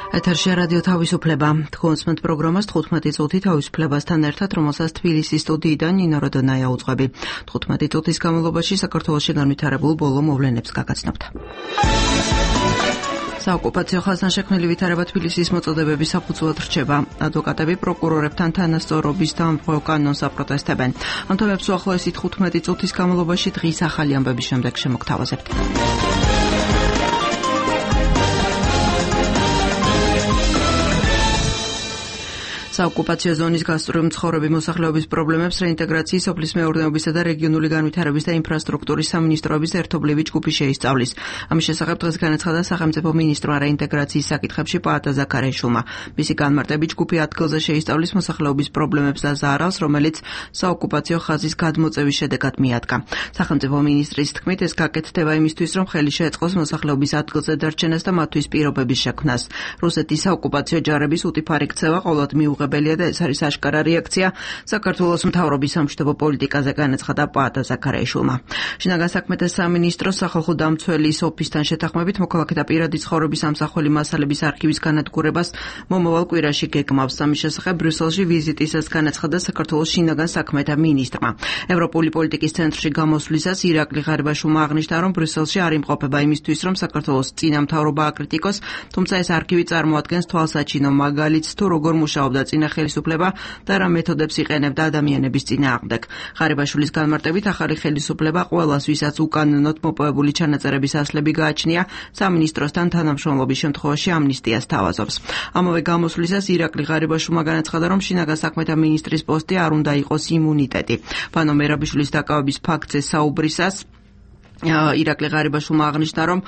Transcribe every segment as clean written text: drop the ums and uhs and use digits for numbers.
ეთერში რადიო თავისუფლება. თქვენს პროგრამას 15 წუთი თავისუფლებასთან ერთად, რომელსაც თბილისის სტუდიიდან ნინო როდონაია უძღვები. 15 წუთის განმავლობაში საქართველოში განვითარებულ ბოლო მოვლენებს გაგაცნობთ. საოკუპაციო ხაზნაშექმნელი ვითარება თბილისის მოწოდებების საფუძვლად რჩება. ადვოკატები პროკურორებთან თანასწორობის დამხმევა კანონს აპროტესტებენ. ამ თემებს უახლოესი 15 წუთის განმავლობაში დღის ახალი ამბების შემდეგ შემოგთავაზებთ. საოკუპაციო ზონის გასწვრივ მცხოვრები მოსახლეობის პრობლემებს რეინტეგრაციის, სოფლის მეურნეობისა და რეგიონული განვითარების და ინფრასტრუქტურის სამინისტროების ერთობლივი ჯგუფი შეისწავლის. ამის შესახებ დღეს განაცხადა სახელმწიფო მინისტრმა რეინტეგრაციის საკითხებში პაატა ზაქარიაშვილმა. მისი განმარტებით ჯგუფი ადგილზე შეისწავლის მოსახლეობის პრობლემებს და ზარალს, რომელიც საოკუპაციო ხაზის გადმოწევის შედეგად მიადგა. სახელმწიფო მინისტრის თქმით, ეს გაკეთდება იმისთვის, რომ ხელი შეეწყოს მოსახლეობის ადგილზე დარჩენას და მათთვის პირობების შექმნას. რუსეთის საოკუპაციო ჯარების უტიფარი ქცევა ყოველად მიუღებელია და ეს არის აშკარა რეაქცია საქართველოს მთავრობის სამშვიდობო პოლიტიკაზე, განაცხადა პაატა ზაქარიაშვილმა. შინაგან საქმეთა სამინისტროს სახალხო დამცველის ოფისთან შეთანხმებით მოქალაქეთა პირადი ცხოვრების ამსახველი მასალების არქივის განადგურებას მომავალ კვირაში გეგმავს. ამის შესახებ ბრიუსელში ვიზიტისას განაცხადა საქართველოს შინაგან საქმეთა მინისტრმა. ევროპული პოლიტიკის ცენტრში გამოსვლისას ირაკლი ღარიბაშვილმა აღნიშნა, რომ ბრიუსელში არ იმყოფება იმისთვის, რომ საქართველოს წინა მთავრობა აკრიტიკოს, თუმცა ეს არქივი წარმოადგენს თვალსაჩინო მაგალითს თუ როგორ მუშაობდა წინა ხელისუფლება და რა მეთოდებს იყენებდა ადამიანების წინააღმდეგ. ღარიბაშვილის განმარტებით, ახალი ხელისუფლება ყველას, ვისაც უკანონოდ მოპოვებული ჩანაწერების ასლები გააჩნია, სამინისტროსთან თანამშრომლობის შემთხვევაში ამნისტიას თავაზობს. ამავე გამოსვლისას ირაკლი ღარიბაშვილმა განაცხადა, რომ შინაგან საქმეთა მინისტრის პოსტი არ უნდა იყოს იმუნიტეტი. ვანო მერაბიშვილის დაკავების ფაქტზე საუბრისას ირაკლი ღარიბაშვილმა აღნიშნა, რომ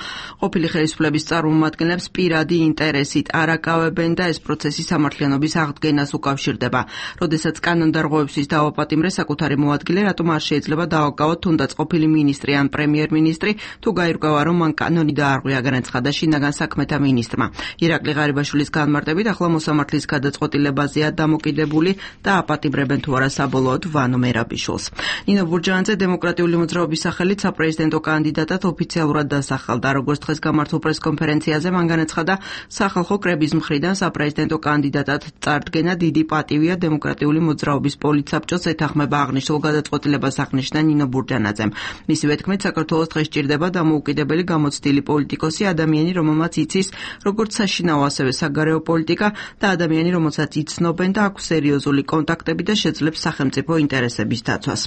ყოფილი ხელისუფლების წარმომადგენლებს პირადი ინტერესით არაკავებენ და ეს პროცესი სამართლიანობის აღდგენას უკავშირდება. როდესაც კანონდარღვევისთვის დაავაპატიმრე საკუთარი მოადგილე, რატომ არ შეიძლება დააკავოთ თუნდაც ყოფილი მინისტრი ან პრემიერ-მინისტრი, თუ გაირკვევა, რომ მან კანონი დაარღვია, განაცხადა შინაგან საქმეთა მინისტრმა. ირაკლი ღარიბაშვილის განმარტებით, ახლა მოსამართლის გადაწყვეტილებაზეა დამოკიდებული და აპატიმრებენ თუ არა საბოლოოდ ვანო მერაბიშვილს. ნინო ბურჯანაძე დემოკრატიული მოძრაობის სახელით საპრეზიდენტო კანდიდატად ოფიციალურად დასახელდა. როგორც დღეს გამართულ პრესკონფერენციაზე მან განაცხადა, სახალხო კრების მხრიდან საპრეზიდენტო კანდიდატად წარდგენა დიდი პატივია დემოკრატიული მოძრაობის პოლიტსაბჭოს ეთანხმება აღნიშნულ გადაწყვეტილებას, აღნიშნა ნინო ბურჯანაძემ. მისივე თქმით, საქართველოს დღეს სჭირდება დამოუკიდებელი გამოცდილი პოლიტიკოსი, ადამიანი, რომელმაც იცის როგორც საშინაო, ასევე საგარეო პოლიტიკა და ადამიანი, რომელსაც იცნობენ და აქვს სერიოზული კონტაქტები და შეძლებს სახელმწიფო ინტერესების დაცვას.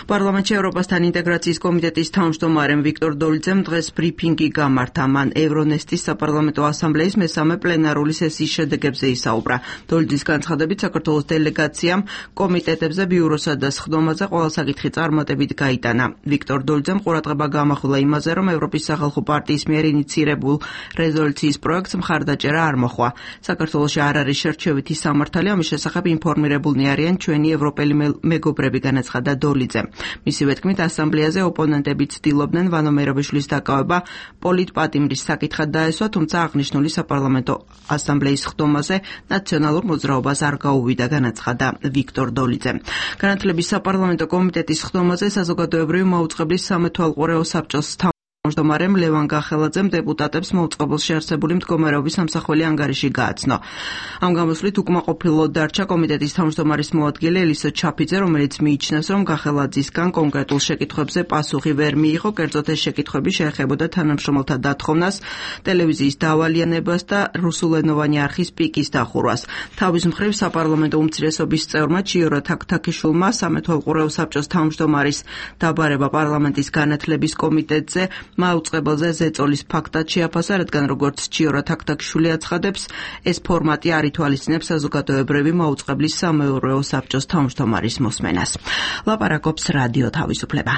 პარლამენტში ევროპასთან ინტეგრაციის კომიტეტის თავმჯდომარე ვიქტორ დოლიძემ დღეს ბრიფინგი გამართა. მან ევრონესტის საპარლამენტო ასამბლეის მესამე პლენარული სესიის შედეგებზე ისაუბრა. დოლიძის განცხადებით, საქართველოს დელეგაციამ კომიტეტებზე ბიუროსა და სხდომაზე ყველა საკითხი წარმატებით გაიტანა. ვიქტორ დოლიძემ ყურადღება გამახვილა იმაზე, რომ ევროპის სახალხო პარტიის მიერ ინიცირებულ რეზოლუციის პროექტს მხარდაჭერა არ მოჰყვა. საქართველოში არ არის შერჩევითი სამართალი, ამის შესახებ ინფორმირებულნი არიან ჩვენი ევროპელი მეგობრები, განაცხადა დოლიძემ. მისივე თქმით, ასამბლეაზე ოპონენტები ცდილობდნენ ვანო მერაბიშვილის დაკავება პოლიტპატიმრის საკითხად დაესვა, თუმცა აღნიშნული საპარლამენტო ასამბლეის სხდომაზე ნაციონალურ მოძრაობას არ გაუვიდა, განაცხადა ვიქტორ დოლიძემ. განათლების საპარლამენტო კომიტეტის სხდომაზე საზოგადოებრივი მაუწყებლის სამეთვალყურეო საბჭოს თავმჯდომარემ ლევან გახელაძემ დეპუტატებს მოუწყებელში არსებული მდგომარეობის ამსახველი ანგარიში გააცნო. ამ გამოსვლით უკმაყოფილოდ დარჩა კომიტეტის თავმჯდომარის მოადგილე ელისო ჩაფიძე, რომელიც მიიჩნევს, რომ გახელაძისგან კონკრეტულ შეკითხვებზე პასუხი ვერ მიიღო, კერძოდ ეს შეკითხვები შეეხებოდა თანამშრომელთა დათხოვნას, ტელევიზიის დავალიანებას და რუსულენოვანი არხის პიკის დახურვას. თავის მხრივ საპარლამენტო უმცირესობის წევრმა ჩიორა თაქთაქიშვილმა სამეთვალყურეო საბჭოს თავმჯდომარის დაბარება პარლამენტის განათლების კომიტეტზე მაუწყებელზე ზეწოლის ფაქტად შეაფასა, რადგან როგორც ჩიორა თაქთაქიშვილი აცხადებს, ეს ფორმატი არ ითვალისწინებს საზოგადოებრივი მაუწყებლის სამეურვეო საბჭოს თავმჯდომარის მოსმენას. ლაპარაკობს რადიო თავისუფლება.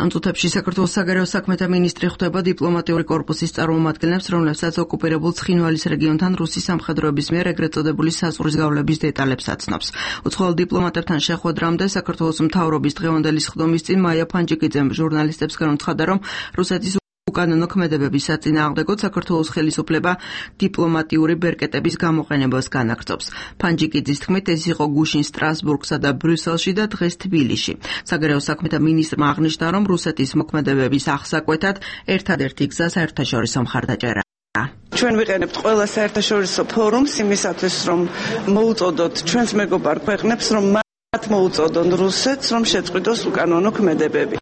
ამ წუთებში საქართველოს საგარეო საქმეთა მინისტრი ხვდება დიპლომატიური კორპუსის წარმომადგენლებს, რომლებსაც ოკუპირებულ ცხინვალის რეგიონთან რუსის სამხედროების მიერ ეგრეთ წოდებული საზღვრის გავლების დეტალებს აცნობს. უცხოელ დიპლომატებთან შეხვედრამდე საქართველოს მთავრობის დღევანდელი სხდომის წინ მაია ფანჯიკიძემ ჟურნალისტებს განუცხადა, რომ რუსეთის უკანონო ქმედებების საწინააღმდეგოდ საქართველოს ხელისუფლება დიპლომატიური ბერკეტების გამოყენებას განაგრძობს. ფანჯიკიძის თქმით, ეს იყო გუშინ სტრასბურგსა და ბრიუსელში და დღეს თბილისში. საგარეო საქმეთა მინისტრმა აღნიშნა, რომ რუსეთის მოქმედებების აღსაკვეთად ერთადერთი გზა საერთაშორისო მხარდაჭერა. ჩვენ ვიყენებთ ყველა საერთაშორისო ფორუმს იმისათვის, რომ მოუწოდოთ ჩვენს მეგობარ ქვეყნებს, რომ მათ მოუწოდონ რუსეთს, რომ შეწყვიტოს უკანონო ქმედებები.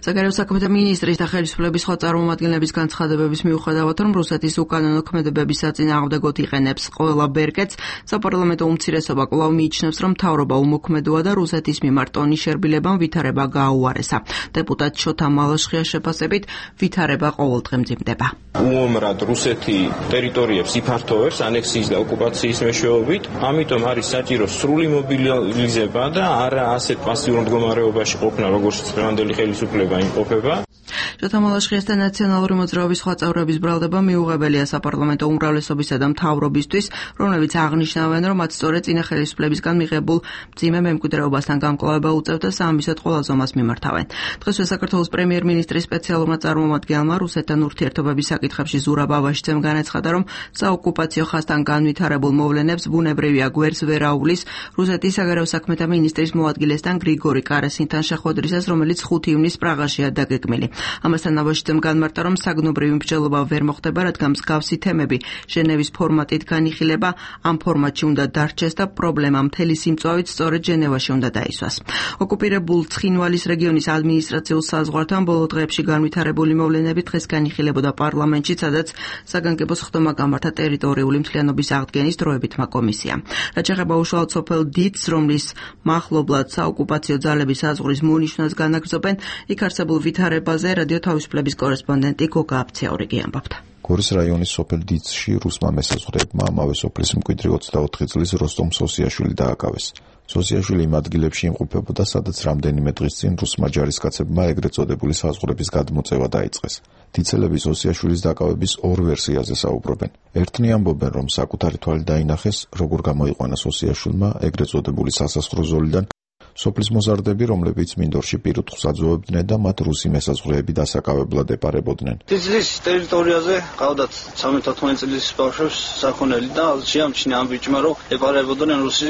საგარეო საქმეთა მინისტრის და ხელისუფლების სხვა წარმომადგენლების განცხადებების მიუხედავად, რომ რუსეთის უკანონო ქმედებების საწინააღმდეგოდ იყენებს ყველა ბერკეტს, საპარლამენტო უმცირესობა კვლავ მიიჩნევს, რომ მთავრობა უმოქმედოა და რუსეთის მიმართ ტონის შერბილებამ ვითარება გააუარესა. დეპუტატ შოთა მალაშხიას შეფასებით, ვითარება ყოველდღე მძიმდება. უომრად რუსეთი ტერიტორიებს იფართოვებს ანექსიის და ოკუპაციის მეშვეობით, ამიტომ არის საჭირო სრული მობილიზება და არა ასეთ პასიურ მდგომარეობაში ყოფნა, როგორც დღევანდელი ხელისუფლება იმყოფება. შოთა მალაშხიასთან ნაციონალური მოძრაობის სხვა წევრების ბრალდება მიუღებელია საპარლამენტო უმრავლესობისა და მთავრობისთვის, რომლებიც აღნიშნავენ, რომ მათ სწორედ წინა ხელისუფლებისგან მიღებულ მძიმე მემკვიდრეობასთან გამკლავება უწევთ და საამისოდ ყველა ზომას მიმართავენ. დღესვე საქართველოს პრემიერ-მინისტრის სპეციალურმა წარმომადგენელმა რუსეთთან ურთიერთობების საკითხებში ზურაბ აბაშიძემ განაცხადა, რომ საოკუპაციო ხაზთან განვითარებულ მოვლენებს ბუნებრივია გვერდს ვერ აუვლის რუსეთის საგარეო საქმეთა მინისტრის მოადგილესთან გრიგორი კარასინთან შეხვედრისას, რომელიც 5 ივნისს პრაღაშია დაგეგმილი. ამასთან აბაშიძემ განმარტა, რომ საგნობრივი მსჯელობა ვერ მოხდება, რადგან მსგავსი თემები ჟენევის ფორმატით განიხილება, ამ ფორმატში უნდა დარჩეს და პრობლემა მთელი სიმწვავით სწორედ ჟენევაში უნდა დაისვას. ოკუპირებულ ცხინვალის რეგიონის ადმინისტრაციულ საზღვართან ბოლო დღეებში განვითარებული მოვლენები დღეს განიხილებოდა პარლამენტში, სადაც საგანგებო სხდომა გამართა ტერიტორიული მთლიანობის აღდგენის დროებითმა კომისიამ. რაც ეხება უშუალოდ სოფელ დიცს, რომლის მახლობლად საოკუპაციო ძალები საზღვრის მონიშნვას განაგრძობენ, იქ არსებულ ვითარებაზე რადიო თავისუფლების კორესპონდენტი გოგა აფცეორიგი ამბობდა. გორის რაიონის სოფელ დიცში რუსმა მესაზღვრეებმა ამავე სოფლის მკვიდრი 24 წლის როსტომ სოსიაშვილი დააკავეს. სოსიაშვილი იმ ადგილებში იმყოფებოდა, სადაც რამდენიმე დღის წინ რუსმა ჯარისკაცებმა ეგრეთ წოდებული საზღვრების გადმოწევა დაიწყეს. დიცელები სოსიაშვილის დაკავების ორ ვერსიაზე საუბრობენ. ერთნი ამბობენ, რომ საკუთარი თვალით დაინახეს, როგორ გამოიყვანა სოსიაშვილმა ეგრეთ წოდებული სასასხრო ზოლიდან სოფლის მოზარდები, რომლებიც მინდორში პირუტყვს აძოვებდნენ და მათ რუსი მესაზღვრეები დასაკავებლად ეპარებოდნენ. დიცლის ტერიტორიაზე ყავდათ 13-14 წლის ბავშვებს საქონელი და შეამჩნია ამ ბიჭმა, რომ ეპარებოდნენ რუსი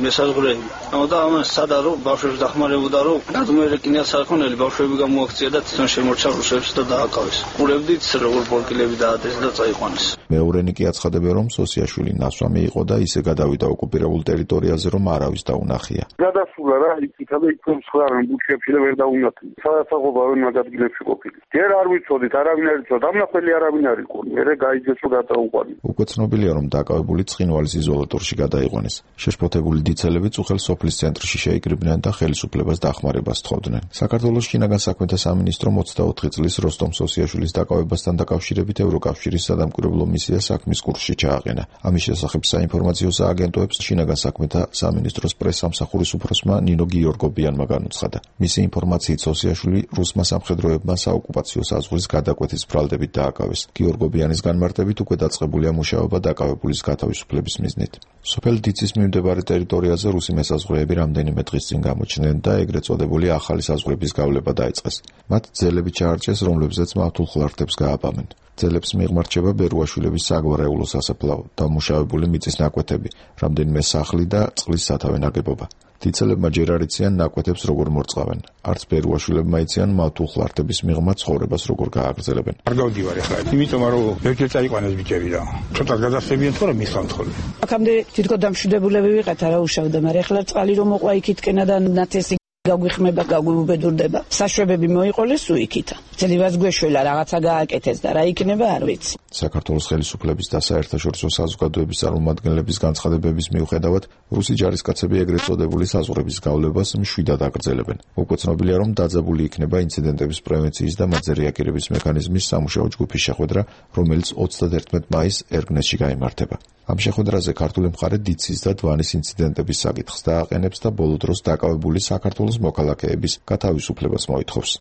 მესაზღვრეები. და ამას სადა რომ ბავშვებს დახმარებოდა, რომ გადმოერეკინათ საქონელი, ბავშვები გამოაქცია და თვითონ შემორჩა რუსებს და დააკავეს. ყურებდით, როგორ ბორკილები დაადეს და წაიყვანეს. მეორენი კი აცხადებენ, რომ სოსიაშვილი ნასვამი იყო და ისე გადავიდა ოკუპირებულ ტერიტორიაზე, რომ არავის დაუნახია. გადასულა რა იქითა და იქ მსხვერპლ ბუჩებში და ვერ დაუნახე. სადაცაღობა ვერ მაგადგილებში ყოფილი. ჯერ არ ვიცოდით, არავინ არ იცოდა, ამნახველი არავინ არ იყო. მერე გაიძეს რომ გადაუყვანი. უკვე ცნობილია, რომ დაკავებული ცხინვალის იზოლატორში გადაიყვანეს. შეშფოთებული დიცელები წუხელ სოფლის ცენტრში შეიკრიბნენ და ხელისუფლებას დახმარებას თხოვდნენ. საქართველოს შინაგან საქმეთა სამინისტრო 24 წლის როსტომ სოსიაშვილის დაკავებასთან დაკავშირებით ევროკავშირის სადამკვირვებლო მისია საქმის კურსში ჩააყენა. ამის შესახებ საინფორმაციო სააგენტოებს შინაგან საქმეთა სამინისტროს პრესსამსახურის უფროსმა ნინო გიორგობიანმა განუცხადა. მისი ინფორმაციით სოსიაშვილი რუსმა სამხედროებმა საოკუპაციო საზღვრის გადაკვეთის ბრალდებით დააკავეს. გიორგობიანის განმარტებით უკვე დაწყებულია მუშაობა დაკავებულის გათავისუფლების მიზნით. სოფელ დიცის მიმდებარე ტერიტორიაზე რუსი მესაზღვრეები რამდენიმე დღის წინ გამოჩნდნენ და ეგრეთ წოდებული ახალი საზღვრების გავლება დაიწყეს. მათ ძელები ჩაარჩეს, რომლებზეც მავთულ ხლარტებს გააბამენ. ძელებს მიღმარჩება ბერუაშვილების საგვარეულო სასაფლაო, დამუშავებული მიწის ნაკვეთები, რამდენიმე სახლი და წყლის სათავე ნაგებობა. დიცელებმა ჯერ არ იციან ნაკვეთებს როგორ მორწყავენ. არც ბერუაშვილებმა იციან მავთულ ხლარტების მიღმა ცხოვრებას როგორ გააგრძელებენ. არ გავდივარ ახლა, იმიტომ რომ ვერჯერ წაიყვანეს ბიჭები და ცოტა გადასწრებიან თორემ მისხამთ ხოლმე. აქამდე თვითონ დამშვიდებულები ვიყავთ, არა უშავდა, მაგრამ ახლა წყალი რომ მოყვა იქითკენა და ნათესი გაგვიხმება, გაგვუბედურდება. საშვებები მოიყოლეს უიქითა. ძლივას გვეშველა რაღაცა გააკეთეს და რა იქნება არ ვიცი. საქართველოს ხელისუფლების და საერთაშორისო საზოგადოების წარმომადგენლების განცხადებების მიუხედავად, რუსი ჯარისკაცები ეგრეთ წოდებული საზღვრების გავლებას მშვიდად აგრძელებენ. უკვე ცნობილია, რომ დაძაბული იქნება ინციდენტების პრევენციის და მათზე რეაგირების მექანიზმის სამუშაო ჯგუფის შეხვედრა, რომელიც 31 მაისს ერგნესში გაიმართება. ამ შეხვედრაზე ქართული მხარე დიცის და დვანის ინციდენტების საკითხს დააყენებს და ბოლო დროს დაკავებული საქართველოს მოქალაქეების გათავისუფლებას მოითხოვს.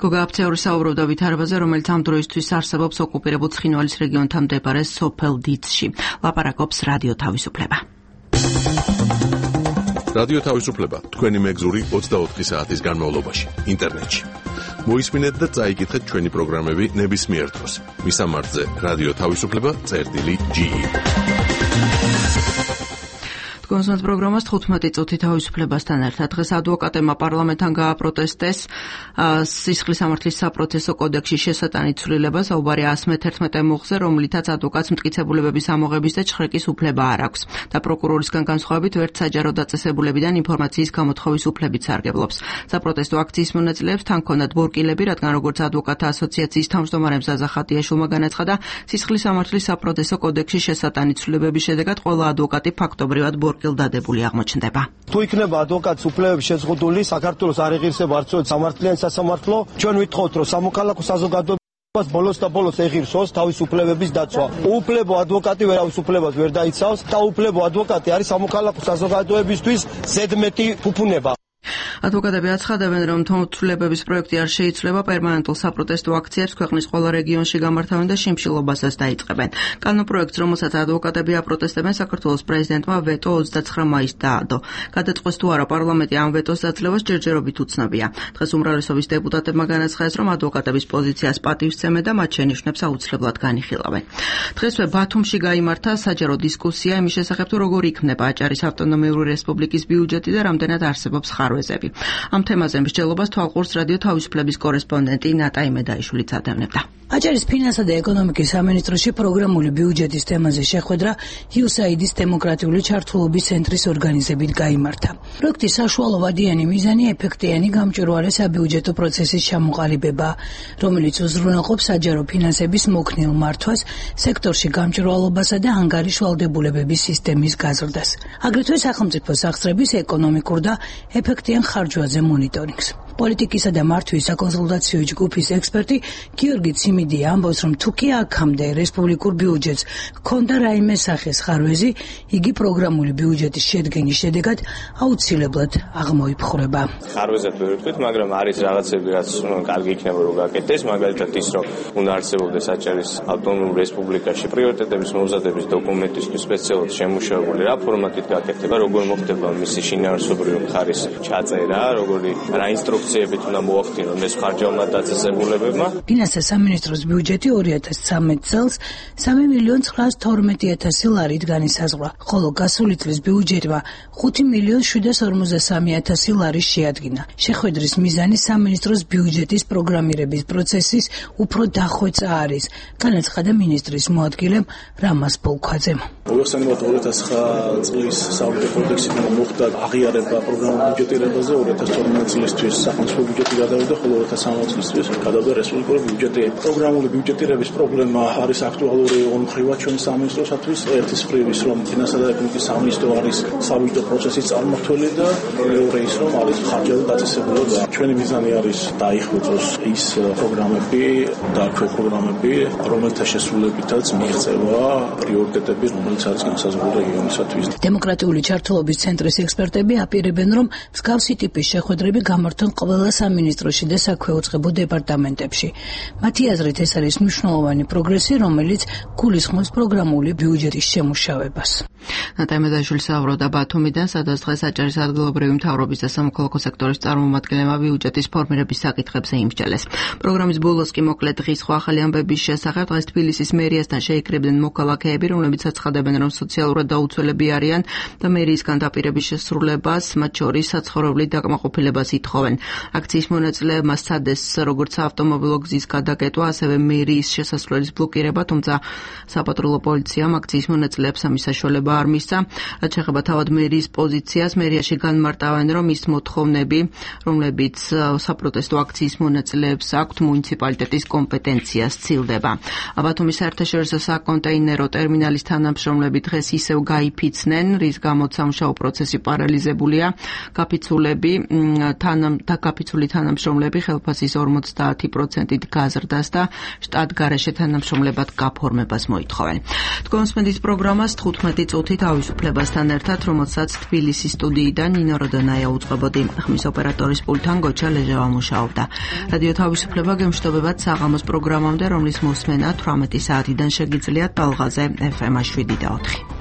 გოგა აფცეორი საუბრობდა ვითარებაზე, რომელიც ამ დროისთვის არსებობს ოკუპირებულ ცხინვალის რეგიონთან მდებარე სოფელ დიცში. ლაპარაკობს რადიო თავისუფლება. რადიო თავისუფლება თქვენი მეგზური 24 საათის განმავლობაში ინტერნეტში. მოისმინეთ და წაიკითხეთ ჩვენი პროგრამები ნებისმიერ დროს. მისამართზე რადიო თავისუფლება წერტილი.ge. კონსულტ პროგრამას 15 წუთი თავისუფლებასთან ერთად დღეს ადვოკატებმა პარლამენტთან გააპროტესტეს სისხლის სამართლის საპროცესო კოდექსში შესატანით ცვლილება საუბარი 111 მუხზე, რომლითაც ადვოკატს მტკიცებულებების ამოღების და ჩხრეკის უფლება არ აქვს და პროკურორისგან განსხვავებით ვერც საჯარო დაწესებულებიდან ინფორმაციის გამოთხოვის უფლებიც სარგებლობს. საპროტესტო აქციის მონაწილეებს თან ჰქონდათ ბორკილები, რადგან როგორც ადვოკატთა ასოციაციის თავმჯდომარე მზაზა ხატიაშვილმა განაცხადა, სისხლის სამართლის საპროცესო კოდექსში შესატანით ცვლილებების შედეგად ყველა ადვოკატი ფაქტობრივად დადებული აღმოჩნდება. თუ იქნება ადვოკატის უფლებები შეზღუდული, საქართველოს არ ეღირსება არც სამართლიანი სასამართლო, ჩვენ ვითხოვთ, რომ სამოქალაქო საზოგადოებას ბოლოს და ბოლოს ეღირსოს თავის უფლებების დაცვა. უუფლებო ადვოკატი ვერავის უფლებას ვერ დაიცავს და უუფლებო ადვოკატი არის სამოქალაქო საზოგადოებისთვის ზედმეტი ფუფუნება. ადვოკატები აცხადებენ, რომ თვითმცვლელების პროექტი არ შეიცვლება პერმანენტულ საპროტესტო აქციებს ქვეყნის ყველა რეგიონში გამართავენ და შიმშილობასაც დაიწყებენ. კანონპროექტს, რომელსაც ადვოკატები აპროტესტებენ, საქართველოს პრეზიდენტმა ვეტო 29 მაისს დაადო. გადაწყვეტს თუ არა პარლამენტი ამ ვეტოს დაძლევას ჯერჯერობით უცნობია. დღეს უმრავლესობის დეპუტატებმა განაცხადეს, რომ ადვოკატების პოზიციას პატივსცემენ და მათ შენიშვნებს აუცილებლად განიხილავენ. დღესვე ბათუმში გაიმართა საჯარო დისკუსია იმის შესახებ, თუ როგორ იქმნება აჭარის ავტონომიური რესპუბლიკის ბიუჯეტი და რამდენად არსებობს ხარვეზები. ამ თემაზე მსჯელობას თვალყურს რადიო თავისუფლების კორესპონდენტი ნატა იმედაიშვილიც ადევნებდა. აჭარის ფინანსთა და ეკონომიკის სამინისტროში პროგრამული ბიუჯეტის თემაზე შეხვედრა USAID-ის დემოკრატიული ჩართულობის ცენტრის ორგანიზებით გაიმართა. პროექტის საშუალო ვადიანი მიზანი ეფექტიანი გამჭვირვალე საბიუჯეტო პროცესის ჩამოყალიბება, რომელიც უზრუნველყოფს საჯარო ფინანსების მოქნილ მართვას, სექტორში გამჭვირვალობასა და ანგარიშვალდებულებების სისტემის გაზრდას. აგრეთვე სახელმწიფო სახსრების ეკონომიკურ და ეფექტიან ხარჯვაზე მონიტორინგს. პოლიტიკისა და მართვის საკონსულტაციო ჯგუფის ექსპერტი გიორგი ციმიდია ამბობს, რომ თუ კი აქამდე რესპუბლიკურ ბიუჯეტს ჰქონდა რაიმე სახის ხარვეზი, იგი პროგრამული ბიუჯეტის შედგენის შედეგად აუცილებლად აღმოიფხვრება. ხარვეზად ვერ ვთქვით, მაგრამ არის რაღაცები, რაც კარგი იქნება რომ გაკეთდეს, მაგალითად ის, რომ უნდა არსებობდეს აჭარის ავტონომურ რესპუბლიკაში პრიორიტეტების მომზადების დოკუმენტისთვის სპეციალურად შემუშავებული რა ფორმატით გაკეთდება, როგორ მოხდება მისი შინაარსობრივი მხარის ჩაწერა, როგორი რა ინსტრუქციებით უნდა მოახდინონ ხარჯავმა დაწესებულებებმა. ფინანსთა სამინისტროს ბიუჯეტი 2013 წელს 3.912.000 ლარით განისაზღვრა, ხოლო გასული წლის ბიუჯეტმა 5.753.000 ლარის შეადგინა. შეხვედრის მიზანი სამინისტროს ბიუჯეტის პროგრამირების პროცესის უფრო დახვეწა არის, განაცხადა მინისტრის მოადგილემ რამაზ ბოლქვაძემ. მოიხსენებათ 2009 წლის საბიუჯეტო კოდექსიდან მოხდა აღიარება პროგრამულ ბიუჯეტირებაზე 2012 წლისთვის სახელმწიფო ბიუჯეტი გადავიდა, ხოლო 2013 წლისთვის გადავიდა რესპუბლიკური ბიუჯეტი. პროგრამული ბიუჯეტირების პრობლემა არის აქტუალური ორ მხრივად ჩვენი სამინისტროსათვის. ერთის მხრივ ის, რომ ფინანსთა და ეკონომიკის სამინისტრო არის საბიუჯეტო პროცესის წარმმართველი და მეორე ის, რომ არის ხარჯათა დაწესებულება. ჩვენი მიზანი არის დაიხვეწოს ის პროგრამები და პროგრამები, რომელთა შესრულებითაც მიიღწევა პრიორიტეტები, რომელიც არის განსაზღვრული რეგიონისათვის. დემოკრატიული ჩართულობის ცენტრის ექსპერტები აპირებენ, რომ მსგავსი ტიპის შეხვედრები გამართონ ყველა სამინისტროში და საქვეუწყებო დეპარტამენტებში. მათი აზრით ეს არის მნიშვნელოვანი პროგრესი, რომელიც გულისხმობს პროგრამული ბიუჯეტის შემუშავებას. ნატა იმედაიშვილი საუბრობდა ბათუმიდან, სადაც დღეს აჭარის ადგილობრივი მთავრობის და სამოქალაქო სექტორის წარმომადგენლებმა ბიუჯეტის ფორმირების საკითხებზე იმსჯელეს. პროგრამის ბოლოს კი მოკლედ დღის სხვა ახალი ამბების შესახებ დღეს თბილისის მერიასთან შეიკრიბნენ მოქალაქეები, რომლებიც აცხადებენ, რომ სოციალურად დაუცველები არიან და მერიისგან დაპირების შესრულებას, მათ შორის საცხოვრებლით დაკმაყოფილებას ითხოვენ. აქციის მონაწილეებმა სცადეს როგორც ავტომობილო გზის გადაკეტვა, ასევე მერიის შესასვლელის ბლოკირება, თუმცა საპატრულო პოლიციამ აქციის მონაწილეებს ამის საშუალება არ მისცა. რაც შეეხება თავად მერიის პოზიციას, მერიაში განმარტავენ, რომ ის მოთხოვნები, რომლებიც საპროტესტო აქციის მონაწილეებს აქვთ, მუნიციპალიტეტის კომპეტენციას ცილდება. ბათუმის საერთაშორისო საკონტეინერო ტერმინალის თანამშრომლები დღეს ისევ გაიფიცნენ, რის გამოც სამუშაო პროცესი პარალიზებულია. გაფიცული თანამშრომლები ხელფასის 50%-ით გაზრდას და შტატგარეშე თანამშრომლებად გაფორმებას მოითხოვენ. თქვენს პროგრამას 15 წუთი თავისუფლებასთან ერთად, რომელსაც თბილისის სტუდიიდან ნინო როდონაია უწყებოდი. ხმის ოპერატორის პულტთან გოჩა ლეჟავა მუშაობდა. რადიო თავისუფლება გემშვიდობებად საღამოს პროგრამამდე, რომლის მოსმენა 18 საათიდან შეგიძლიათ ტალღაზე FM 7 და 4.